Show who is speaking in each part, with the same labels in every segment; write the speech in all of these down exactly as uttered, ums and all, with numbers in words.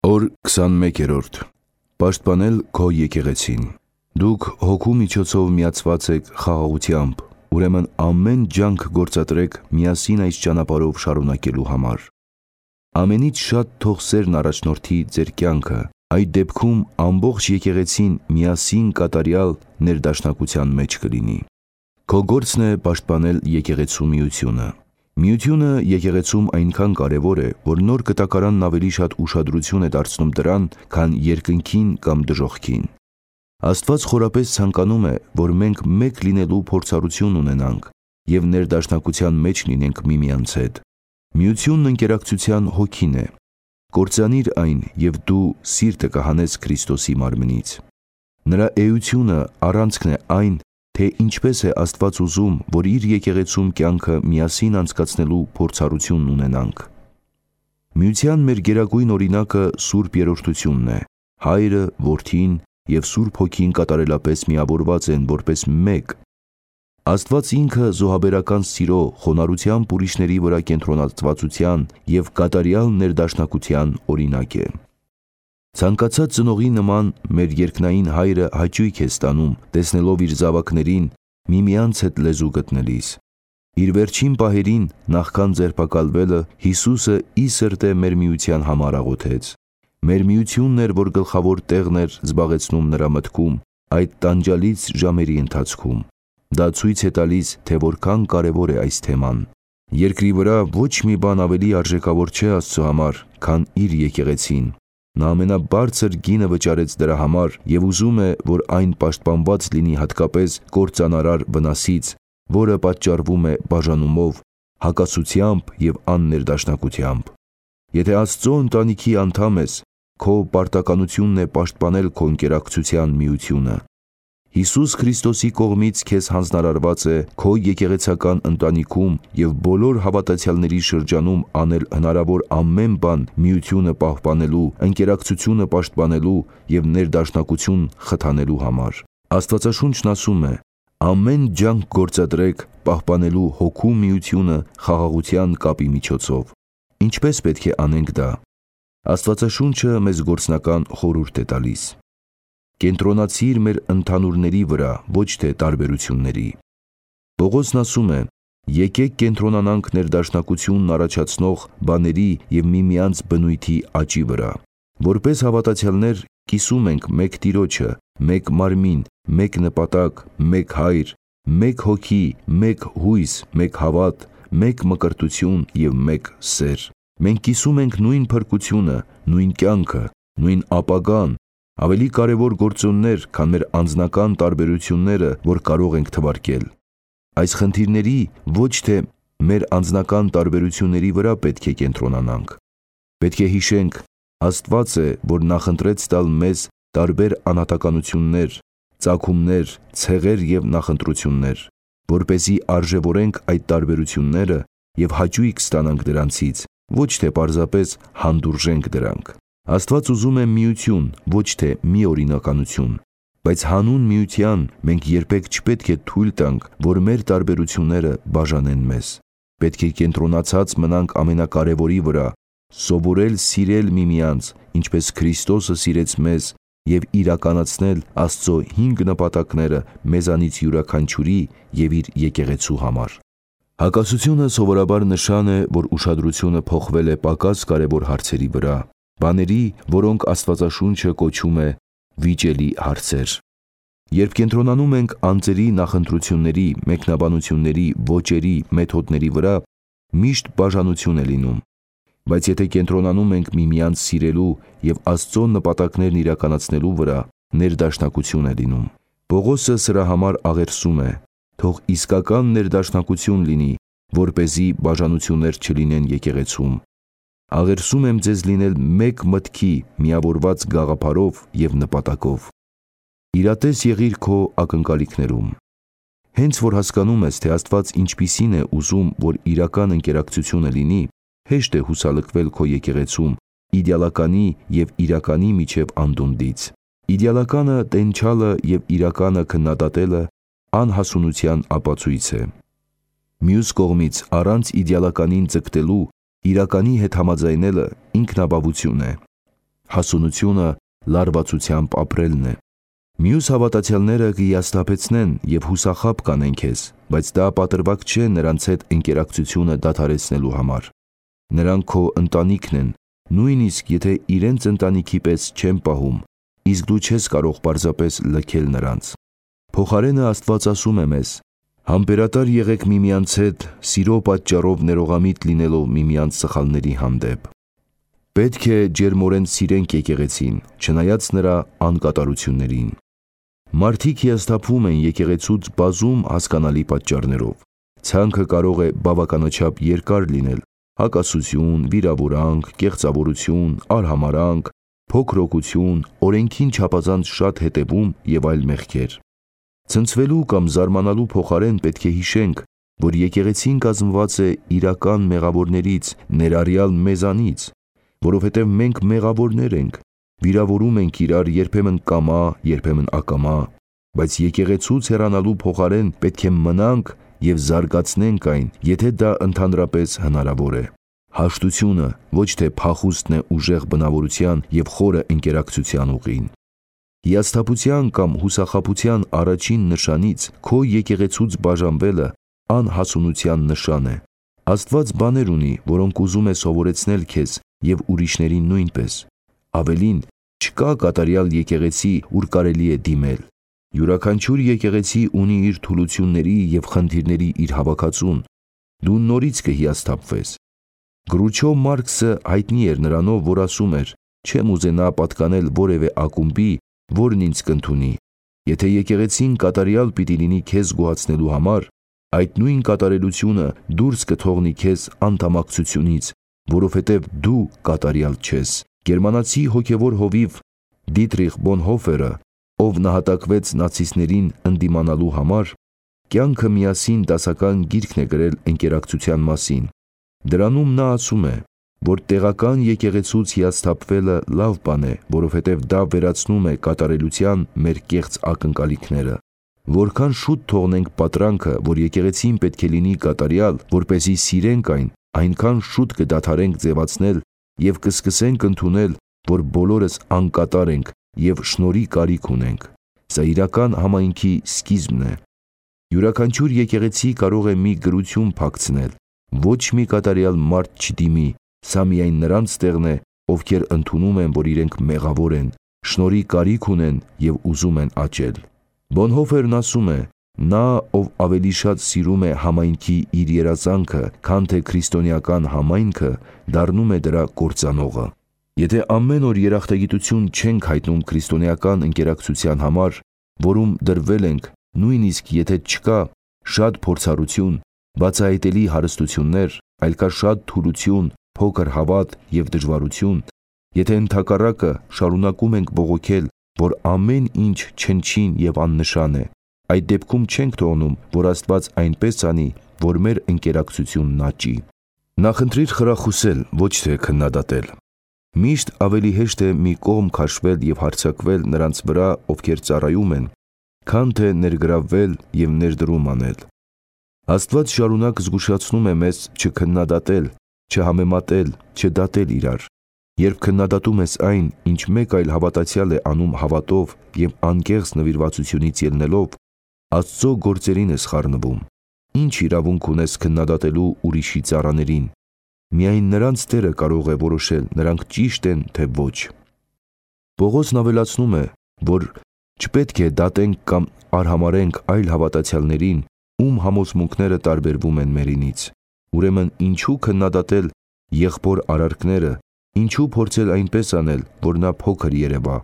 Speaker 1: Օր քսանմեկերորդ. Պաշտպանել քո եկեղեցին։ Դուք հոգու միջոցով միացված եք խաղաղությամբ, ուրեմն ամեն ջանք գործադրեք միասին այս ճանապարհով շարունակելու համար։ Ամենից շատ թող սերն առաջնորդի ձեր կյանքը, այդ դեպքում ամբողջ եկեղեցին միասին կատարյալ ներդաշնակության մեջ կլինի։ Քո գործն է պաշտպանել եկեղեցու միությունը։ Միությունը եկեղեցում այնքան կարևոր է, որ նոր կտակարանն ավելի շատ ուշադրություն է դարձնում դրան, քան երկնքին կամ դժոխքին։ Աստված խորապես ցանկանում է, որ մենք մեկ լինելու փորձառություն ունենանք և ներդաշնակության մեջ լինենք միմյանց հետ։ Միությունն ընկերակցության հոգին է։ Կործանիր այն, և դու սիրտը կհանես Քրիստոսի մարմնից։ Նրա էությունը առանցքն է այն, թե ինչպես է Աստված ուզում, որ իր եկեղեցում կյանքը միասին անցկացնելու փորձառություն ունենանք։ Միության մեր գերագույն օրինակը Սուրբ Երրորդությունն է։ Հայրը, Որդին և Սուրբ Հոգին կատարելապես միավորված են որպես մեկ։ Աստված ինքը զոհաբերական սիրո, խոնարհությամբ ուրիշների վրա կենտրոնացվածության և կատարյալ ներդաշնակության օրինակ է։ Ցանկացած ծնողի նման մեր երկնային Հայրը հաճույք է ստանում, տեսնելով իր զավակներին միմյանց հետ լեզու գտնելիս։ Իր վերջին պահերին, նախքան ձերբակալվելը, Հիսուսը ի սրտե մեր միության համար աղոթեց։ Մեր միությունն էր, որ գլխավոր տեղն էր զբաղեցնում նրա մտքում այդ տանջալից ժամերի ընթացքում։ Դա ցույց է տալիս, թե որքան կարևոր է այս թեման։ Երկրի վրա ոչ մի բան ավելի արժեքավոր չէ Աստծո համար, քան իր եկեղեցին։ Նա ամենաբարձր գինը վճարեց դրա համար և ուզում է, որ այն պաշտպանված լինի հատկապես կործանարար վնասից, որը պատճառվում է բաժանումով, հակասությամբ և աններդաշնակությամբ։ Եթե Աստծո ընտանիքի անդամ ես, քո պարտականությունն է պաշտպանել քո ընկերակցության միությունը։ Հիսուս Քրիստոսի կողմից քեզ հանձնարարված է քո եկեղեցական ընտանիքում և բոլոր հավատացյալների շրջանում անել հնարավոր ամեն բան միությունը պահպանելու, ընկերակցությունը պաշտպանելու և ներդաշնակություն խթանելու համար։ Աստվածաշունչն ասում է. «Ամեն ջանք գործադրեք պահպանելու հոգու միությունը խաղաղության կապի միջոցով»։ Ինչպե՞ս պետք է անենք դա։ Աստվածաշունչը մեզ գործնական խորհուրդ է տալիս։ Կենտրոնացիր մեր ընդհանուրների վրա, ոչ թե տարբերությունների։ Պողոսն ասում է. «Եկեք կենտրոնանանք ներդաշնակությունն առաջացնող բաների և միմյանց բնույթի աճի վրա»։ Որպես հավատացյալներ կիսում ենք մեկ Տիրոջը, մեկ մարմին, մեկ նպատակ, մեկ Հայր, մեկ Հոգի, մեկ հույս, մեկ հավատ, մեկ մկրտություն և մեկ սեր։ Մենք կիսում ենք նույն փրկությունը, նույն կյանքը, նույն ապագան, ավելի կարևոր գործոններ, քան մեր անձնական տարբերությունները, որ կարող ենք թվարկել։ Այս խնդիրների, ոչ թե մեր անձնական տարբերությունների վրա պետք է կենտրոնանանք։ Պետք է հիշենք. Աստված է, որ նախընտրեց տալ մեզ տարբեր անհատականություններ, ծագումներ, ցեղեր և նախընտրություններ, որպեսզի արժևորենք այդ տարբերությունները և հաճույք ստանանք դրանցից, ոչ թե պարզապես հանդուրժենք դրանք։ Աստված ուզում է միություն, ոչ թե միօրինականություն։ Բայց հանուն միության մենք երբեք չպետք է թույլ տանք, որ մեր տարբերությունները բաժանեն մեզ։ Պետք է կենտրոնացած մնանք ամենակարևորի վրա, սովորել սիրել միմյանց, ինչպես Քրիստոսը սիրեց մեզ, և իրականացնել Աստծո հինգ նպատակները մեզանից յուրաքանչյուրի և իր եկեղեցու համար։ Հակասությունը սովորաբար նշան է, որ ուշադրությունը փոխվել է պակաս կարևոր հարցերի վրա, բաների, որոնք Աստվածաշունչը կոչում է վիճելի հարցեր։ Երբ կենտրոնանում ենք անձերի նախընտրությունների, մեկնաբանությունների, ոճերի, մեթոդների վրա, միշտ բաժանություն է լինում։ Բայց եթե կենտրոնանում ենք միմյանց սիրելու և Աստծո նպատակներն իրականացնելու վրա, ներդաշնակություն է լինում։ Պողոսը սրա համար աղերսում է. «Թող իսկական ներդաշնակություն լինի, որպեսզի բաժանություններ չլինեն եկեղեցում։ Աղերսում եմ ձեզ լինել մեկ մտքի, միավորված գաղափարով և նպատակով»։ Իրատես եղիր քո ակնկալիքներում։ Հենց որ հասկանում ես, թե Աստված ինչպիսին է ուզում, որ իրական ընկերակցությունը լինի, հեշտ է հուսալքվել քո եկեղեցում իդեալականի և իրականի միջև անդունդից։ Իդեալականը տենչալը և իրականը քննադատելը անհասունության ապացույց է։ Մյուս կողմից, առանց իդեալականին ձգտելու իրականի հետ համաձայնելը ինքնաբավություն է։ հասունությունը լարվածությամբ ապրելն է։ Մյուս հավատացյալները կհիասթափեցնեն և հուսախաբ կանեն քեզ, բայց դա պատրվակ չէ նրանց հետ ընկերակցությունը դադարեցնելու համար։ Նրանք քո ընտանիքն են, նույնիսկ եթե իրենց ընտանիքի պես չեն պահում, իսկ դու չես կարող պարզապես լքել նրանց։ Փոխարենը Աստված ասում է մեզ. համբերատար եղեք միմյանց հետ, սիրո պատճառով ներողամիտ լինելով միմյանց սխալների հանդեպ։ Պետք է ջերմորեն սիրենք եկեղեցին, չնայած նրա անկատարություններին։ Մարդիկ հիասթափվում են եկեղեցուց բազում հասկանալի պատճառներով։ Ցանքը կարող է բավականաչափ երկար լինել՝ հակասություն, վիրավորանք, կեղծավորություն, արհամարհանք, փոքրօգություն, օրենքին չափազանց շատ հետևում և այլ մեղքեր։ Ցնցվելու կամ զարմանալու փոխարեն պետք է հիշենք, որ եկեղեցին կազմված է իրական մեղավորներից, ներառյալ մեզանից, որովհետև մենք մեղավորներ ենք, վիրավորում ենք իրար երբեմն կամա, երբեմն ակամա, բայց եկեղեցուց հեռանալու փոխարեն պետք է մնանք և զարգացնենք այն, եթե դա ընդհանրապես հնարավոր է։ Հաշտությունը ոչ թե փախուստն է ուժեղ բնավորության և խորը ընկերակցության ուղին։ Հիասթափության կամ հուսախաբության առաջին նշանից քո եկեղեցուց բաժանվելը անհասունության նշան է։ Աստված բաներ ունի, որոնք ուզում է սովորեցնել քեզ և ուրիշներին նույնպես։ Ավելին, չկա կատարյալ եկեղեցի, ուր կարելի է դիմել։ Յուրաքանչյուր եկեղեցի ունի իր թուլությունների և խնդիրների իր հավաքածուն։ Դու նորից կհիասթափվես։ Գրուչո Մարքսը հայտնի էր նրանով, որ ասում էր. «Չեմ ուզենա պատկանել որևէ ակումբի, որն ինձ կընդունի։ Եթե եկեղեցին կատարյալ պիտի լինի քեզ գոհացնելու համար, այդ նույն կատարելությունը դուրս կթողնի քեզ անդամակցությունից, որովհետև դու կատարյալ չես»։ Գերմանացի հոգևոր հովիվ Դիտրիխ Բոնհոֆերը, ով նահատակվեց նացիստներին ընդդիմանալու համար, «Կյանքը միասին» դասական գիրքն է գրել ընկերակցության մասին։ Դրանում նա ասում է, որ տեղական եկեղեցուց հիասթափվելը լավ բան է, որովհետև դա վերացնում է կատարելության մեր կեղծ ակնկալիքները։ Որքան շուտ թողնենք պատրանքը, որ եկեղեցին պետք է լինի կատարյալ, որպեսզի սիրենք այն, այնքան շուտ կդադարենք ձևացնել և կսկսենք ընդունել, որ բոլորս անկատար ենք և շնորհի կարիք ունենք։ Սա իրական համայնքի սկիզբն է։ Յուրաքանչյուր եկեղեցի կարող է մի գրություն փակցնել. ոչ մի կատարյալ մարդ չդիմի, սա միայն նրանց տեղն է, ովքեր ընդունում են, որ իրենք մեղավոր են, շնորհի կարիք ունեն և ուզում են աճել։ Բոնհոֆերն ասում է. նա, ով ավելի շատ սիրում է համայնքի իր երազանքը, քան թե քրիստոնեական համայնքը, դառնում է դրա կործանողը։ Եթե ամեն օր երախտագիտություն չենք հայտնում քրիստոնեական ընկերակցության համար, որում դրվել ենք, նույնիսկ եթե չկա շատ փորձառություն, բացահայտելի հարստություններ, այլ կա շատ թուլություն, փոքր հավատ և դժվարություն, եթե ընդհակառակը շարունակում ենք բողոքել, որ ամեն ինչ չնչին և աննշան է, այդ դեպքում չենք թողնում, որ Աստված այնպես անի, որ մեր ընկերակցությունն աճի։ Նախընտրիր խրախուսել, ոչ թե քննադատել։ Միշտ ավելի հեշտ է մի կողմ քաշվել և հարձակվել նրանց վրա, ովքեր ծառայում են, քան թե ներգրավվել և ներդրում անել։ Աստված շարունակ զգուշացնում է մեզ չքննադատել, չհամեմատել, չդատել իրար։ Երբ քննադատում ես այն, ինչ մեկ այլ հավատացյալ է անում հավատով և անկեղծ նվիրվածությունից ելնելով, Աստծո գործերին ես խառնվում։ Ինչ իրավունք ունես քննադատելու ուրիշի ծառաներին։ Միայն նրանց Տերը կարող է որոշել նրանք ճիշտ են, թե ոչ։ Պողոսն ավելացնում է, որ չպետք է դատենք կամ արհամարհենք այլ հավատացյալներին, ում համոզմունքները տարբերվում են մերինից։ Ուրեմն ինչու քննադատել եղբոր արարքները, ինչու փորձել այնպես անել, որ նա փոքր երևա։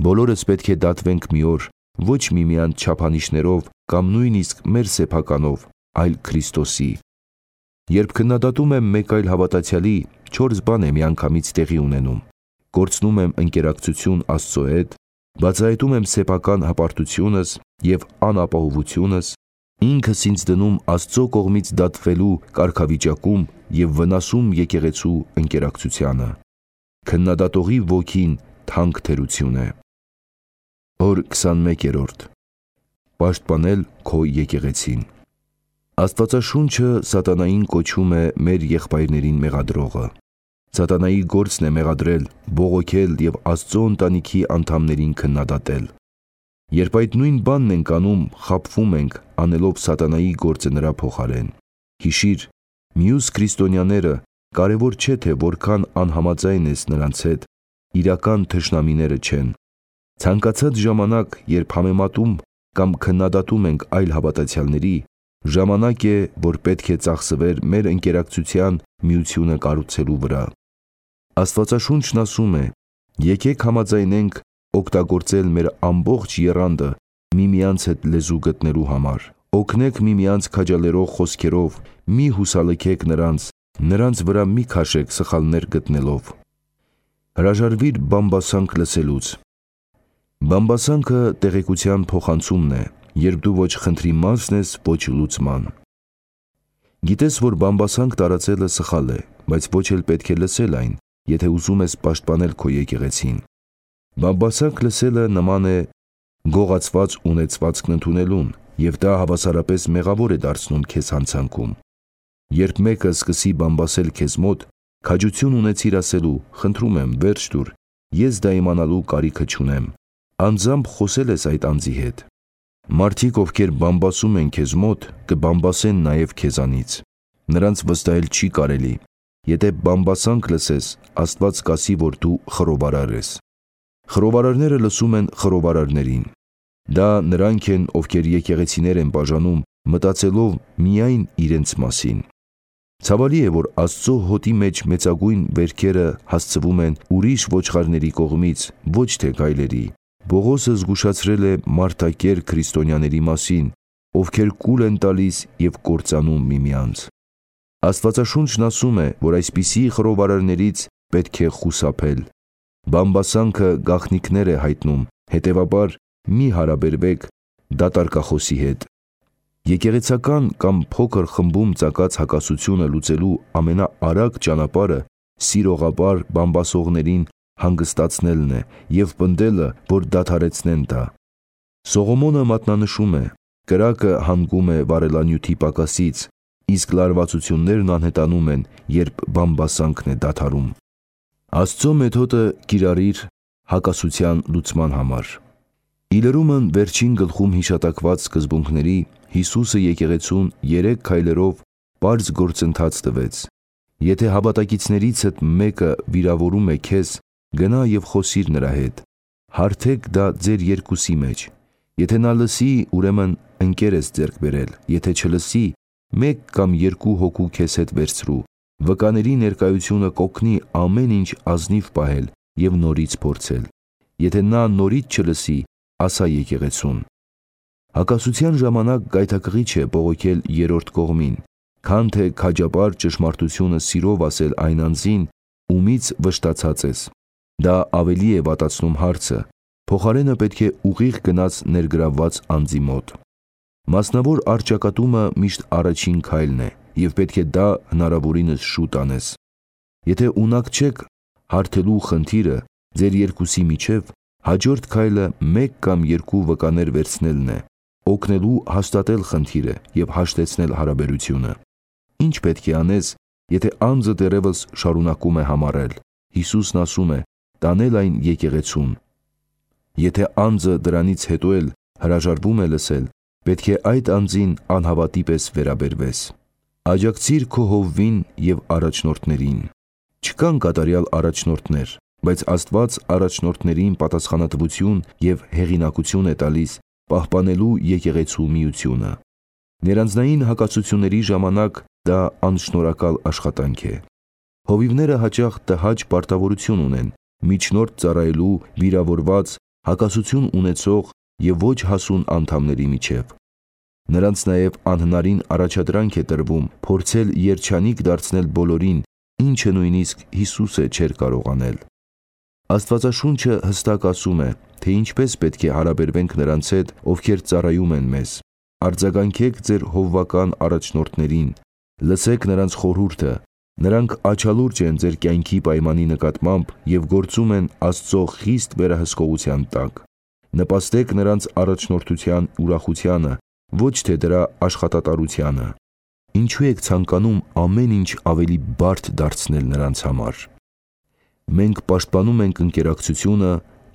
Speaker 1: Բոլորս պետք է դատվենք մի օր, ոչ միմյանց չափանիշներով կամ նույնիսկ մեր սեփականով, այլ Քրիստոսի։ Երբ քննադատում եմ մեկ այլ հավատացյալի, չորս բան է միանգամից տեղի ունենում. կորցնում եմ ընկերակցություն Աստծո հետ, բացահայտում եմ սեփական հպարտությունս և անապահովությունս, ինքս ինձ դնում Աստծո կողմից դատվելու կարգավիճակում և վնասում եկեղեցու ընկերակցությանը։ Քննադատողի ոգին թանկ թերություն է։ Օր քսանմեկերորդ. Պաշտպանել քո եկեղեցին։ Աստվածաշունչը սատանային կոչում է մեր եղբայրներին մեղադրողը։ Սատանայի գործն է մեղադրել, բողոքել և Աստծո ընտանիքի անդամներին քննադատել։ Երբ այդ նույն բանն ենք անում, խաբվում ենք, անելով սատանայի գործը նրա փոխարեն։ Հիշիր, մյուս քրիստոնյաները կարևոր չէ, թե որքան անհամաձայն ես նրանց հետ, իրական թշնամիները չեն։ Ցանկացած ժամանակ, երբ համեմատում կամ քննադատում ենք այլ հավատացյալների, ժամանակ է, որ պետք է ծախսվեր մեր ընկերակցության միությունը կառուցելու վրա։ Աստվածաշունչն ասում է. «Եկեք համաձայնենք օգտագործել մեր ամբողջ եռանդը միմյանց հետ լեզու գտնելու համար։ Օգնեք միմյանց քաջալերող խոսքերով, մի հուսալքեք նրանց, նրանց վրա մի քաշեք սխալներ գտնելով»։ Հրաժարվիր բամբասանք լսելուց։ Բամբասանքը տեղեկության փոխանցումն է, երբ դու ոչ խնդրի մասն ես, ոչ լուծման։ Գիտես, որ բամբասանք տարածելը սխալ է, բայց ոչ էլ պետք է լսել այն, եթե ուզում ես պաշտպանել քո եկեղեցին։ Բամբասանք լսելը նման է գողացված ունեցվածքն ընդունելուն, և դա հավասարապես մեղավոր է դարձնում քեզ հանցանքում։ Երբ մեկը սկսի բամբասել քեզ մոտ, քաջություն ունեցիր ասելու. «Խնդրում եմ, վերջ տուր, ես դա իմանալու կարիքը չունեմ»։ Անձամբ խոսել ես այդ անձի հետ։ Մարդիկ, ովքեր բամբասում են քեզ մոտ, կբամբասեն նաև քեզանից։ Նրանց վստահել չի կարելի։ Եթե բամբասանք լսես, Աստված կասի, որ դու խռովարար ես։ Խռովարարները լսում են խռովարարներին։ Դա նրանք են, ովքեր եկեղեցիներ են բաժանում, մտածելով միայն իրենց մասին։ Ցավալի է, որ Աստծո հոտի մեջ մեծագույն վերքերը հասցվում են ուրիշ ոչխարների կողմից, ոչ թե գայլերի։ Պողոսը զգուշացրել է մարդակեր քրիստոնյաների մասին, ովքեր կուլ են տալիս և կործանում միմյանց։ Աստվածաշունչն ասում է, որ այսպիսի խռովարարներից պետք է խուսափել։ Բամբասանքը գաղտնիքներ է հայտնում, հետևաբար մի հարաբերվեք դատարկախոսի հետ։ Եկեղեցական կամ փոքր խմբում ծագած հակասությունը լուծելու ամենաարագ ճանապարհը սիրողաբար բամբասողներին հանգստացնելն է և պնդելը, որ դադարեցնեն դա։ Սողոմոնը մատնանշում է. «Կրակը հանգում է վարելանյութի պակասից, իսկ լարվածություններն անհետանում են, երբ բամբասանքն է դադարում»։ Աստծո մեթոդը կիրառիր հակասության լուծման համար։ Իլրումն վերջին գլխում հիշատակված սկզբունքների Հիսուսը եկեղեցուն երեք քայլերով պարզ գործընթաց տվեց։ Եթե հավատակիցներիցդ մեկը վիրավորում է քեզ, գնա և խոսիր նրա հետ։ Հարթեք դա ձեր երկուսի մեջ։ Եթե նա լսի, ուրեմն ընկեր ես ձեռք բերել, եթե չլսի, մեկ կամ երկու հոգու քեզ հետ վերցրու։ Վկաների ներկայությունը կօգնի ամեն ինչ ազնիվ պահել և նորից փորձել։ Եթե նա նորից չլսի, ասա եկեղեցուն։ Հակասության ժամանակ գայթակղիչ է բողոքել երրորդ կողմին, քան թե քաջաբար ճշմարտությունը սիրով ասել այն անձին, ումից վշտացած ես։ Դա ավելի է վատացնում հարցը, փոխարենը պետք է ուղիղ գնաց ներգրավված անձի մոտ։ Մասնավոր առճակատումը միշտ առաջին քայլն է, և պետք է դա հնարավորինս շուտ անես։ Եթե ունակ չեք հարթելու խնդիրը ձեր երկուսի միջև, հաջորդ քայլը մեկ կամ երկու վկաներ վերցնելն է, օգնելու հաստատել խնդիրը և հաշտեցնել հարաբերությունը։ Ինչ պետք է անես, եթե անձը դեռևս շարունակում է համառել։ Հիսուսն ասում է. տանել այն եկեղեցուն։ Եթե անձը դրանից հետո էլ հրաժարվում է լսել, պետք է այդ անձին անհավատի պես վերաբերվես։ Աջակցիր քո հովվին և առաջնորդներին։ Չկան կատարյալ առաջնորդներ, բայց Աստված առաջնորդներին պատասխանատվություն և հեղինակություն է տալիս պահպանելու եկեղեցու միությունը։ Ներանձնային հակասությունների ժամանակ դա անշնորհակալ աշխատանք է։ Հովիվները հաճախ տհաճ պարտավորություն ունեն միջնորդ ծառայելու վիրավորված, հակասություն ունեցող և ոչ հասուն անդամների միջև։ Նրանց նաև անհնարին առաջադրանք է տրվում փորձել երջանիկ դարձնել բոլորին, ինչը նույնիսկ Հիսուսը չէր կարող անել։ Աստվածաշունչը հստակ ասում է, թե ինչպես պետք է հարաբերվենք նրանց հետ, ովքեր ծառայում են մեզ։ Արձագանքեք ձեր հովվական առաջնորդներին, լսեք նրանց խորհուրդը, նրանք աչալուրջ են ձեր կյանքի պայմանի նկատմամբ և գործում են Աստծո խիստ վերահսկողության տակ։ Նպաստեք նրանց առաջնորդության ուրախությանը, ոչ թե դրա աշխատատարությանը։ Ինչու եք ցանկանում ամեն ինչ ավելի բարդ դարձնել նրանց համար։ Մենք պաշտպանում ենք ընկերակցությունը,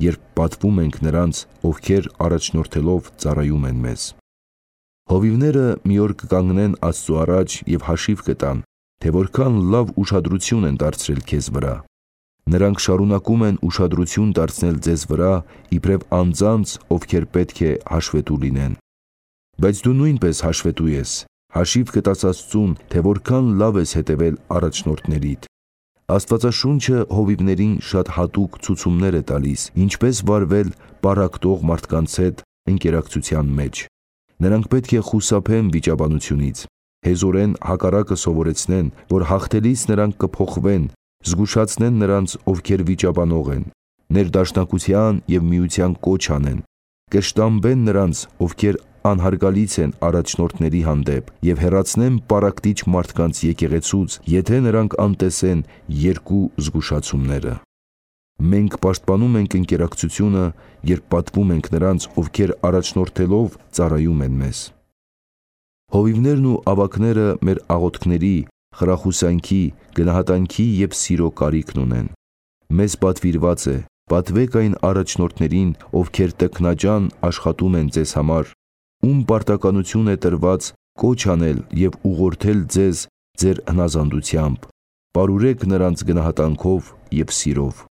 Speaker 1: երբ պատվում ենք նրանց, ովքեր առաջնորդելով ծառայում են մեզ։ Հովիվները մի օր կկանգնեն Աստծու առաջ և հաշիվ կտան, թե որքան լավ ուշադրություն են դարձրել քեզ վրա։ Նրանք շարունակում են ուշադրություն դարձնել ձեզ վրա, իբրև անձանց, ովքեր պետք է հաշվետու լինեն։ Բայց դու նույնպես հաշվետու ես, հաշիվ կտաս Աստծուն, թե որքան լավ ես հետևել առաջնորդներիդ։ Աստվածաշունչը հովիվներին շատ հատուկ ցուցումներ է տալիս, ինչպես վարվել պառակտող մարդկանց հետ ընկերակցության մեջ։ Նրանք պետք է խուսափեն վիճաբանությունից, հեզորեն հակառակը սովորեցնեն, որ հաղթելիս նրանք կփոխվեն, զգուշացնեն նրանց, ովքեր վիճաբանող են, ներդաշնակության և միության կոչ անեն, կշտամբեն նրանց, ովքեր անհարգալից են առաջնորդների հանդեպ և հեռացնեն պառակտիչ մարդկանց եկեղեցուց, եթե նրանք անտեսեն երկու զգուշացումները։ Մենք պաշտպանում ենք ընկերակցությունը, երբ պատվում ենք նրանց, ովքեր առաջնորդելով ծառայում են մեզ։ Հովիվներն ու ավագները մեր աղոթքների, խրախուսանքի, գնահատանքի և սիրո կարիքն ունեն։ Մեզ պատվիրված է, պատվեք այն առաջնորդներին, ովքեր տքնաջան աշխատում են ձեզ համար, ում պարտականություն է տրված կոչ անել և ուղղորդել ձեզ ձեր հնազանդությամբ, պարուրեք նրանց գնահատանքով և սիրով։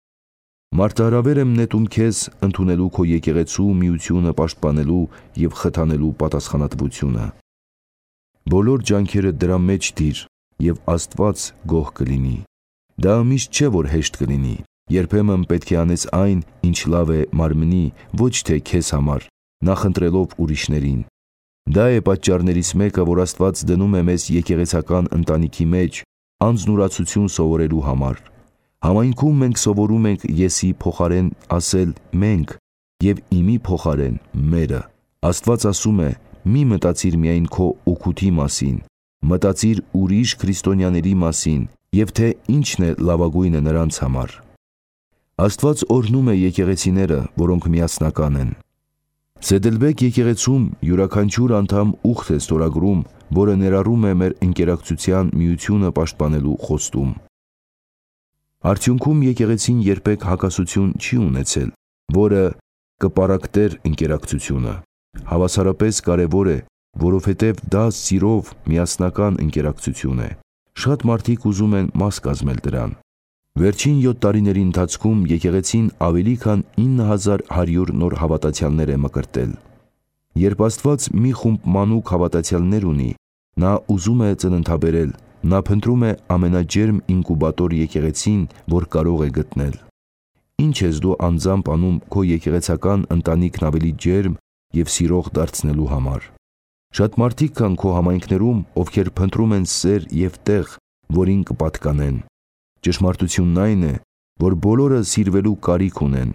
Speaker 1: Մարտահրավեր եմ նետում քեզ ընդունելու քո եկեղեցու միությունը պաշտպանելու և խթանելու պատասխանատվությունը։ Բոլոր ջանքերդ դրա մեջ դիր, և Աստված գոհ կլինի։ Դա միշտ չէ, որ հեշտ կլինի, երբեմն պետք է անես այն, ինչ լավ է մարմնի, ոչ թե քեզ համար, նախընտրելով ուրիշներին։ Դա է պատճառներից մեկը, որ Աստված դնում է մեզ եկեղեցական ընտանիքի մեջ անձնուրացություն սովորելու համար։ Համայնքում մենք սովորում ենք եսի փոխարեն ասել մենք և իմի փոխարեն մերը։ Աստված ասում է՝ մի մտածիր միայն քո օգուտի մասին, մտածիր ուրիշ քրիստոնյաների մասին և թե ինչն է լավագույնը նրանց համար։ Աստված օրհնում է եկեղեցիները, որոնք միասնական են։ Սեդելբեկ եկեղեցում յուրաքանչյուր անդամ ուխտ է ստորագրում, որը ներառում է մեր ընկերակցության միությունը պաշտպանելու խոստում։ Արդյունքում եկեղեցին երբեք հակասություն չի ունեցել, որը կպառակտեր ընկերակցությունը։ Հավասարապես կարևոր է, որովհետև դա սիրով միասնական ընկերակցություն է։ Շատ մարդիկ ուզում են մաս կազմել դրան։ Վերջին յոթ տարիների ընթացքում եկեղեցին ավելի քան ինը հազար հարյուր նոր հավատացյալներ է մկրտել։ Երբ Աստված մի խումբ մանուկ հավատացյալներ ունի, նա ուզում է ծննդաբերել, նա փնտրում է ամենաջերմ ինկուբատոր եկեղեցին, որ կարող է գտնել։ Ինչ ես դու անձամբ անում քո եկեղեցական ընտանիքն ավելի ջերմ և սիրող դարձնելու համար։ Շատ մարդիկ կան քո համայնքներում, ովքեր փնտրում են սեր և տեղ, որին կպատկանեն։ Ճշմարտությունն այն է, որ բոլորը սիրվելու կարիք ունեն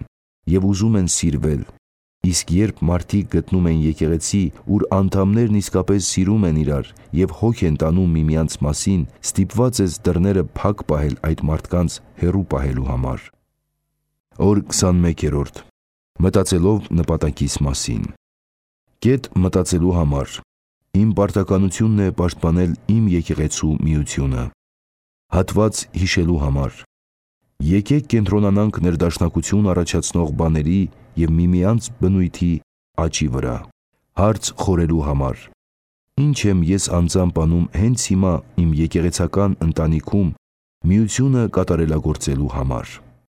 Speaker 1: և ուզում են սիրվել, իսկ երբ մարդիկ գտնում են եկեղեցի, ուր անդամներն իսկապես սիրում են իրար և հոգ են տանում միմյանց մասին, ստիպված ես դռները փակ պահել այդ մարդկանց հեռու պահելու համար։ Օր քսանմեկերորդ. Մտածելով նպատակիս մասին։ Կետ մտածելու համար։ Իմ պարտականությունն է պաշտպանել իմ եկեղեցու միությունը։ Հատված հիշելու համար։ Եկեք կենտրոնանանք ներդաշնակություն առաջացնող բաների և միմյանց բնույթի աճի վրա։ Հարց խորելու համար։ Ինչ եմ ես անձամբ անում հենց հիմա իմ եկեղեցական ընտանիքում միությունը կատարելագործելու համար։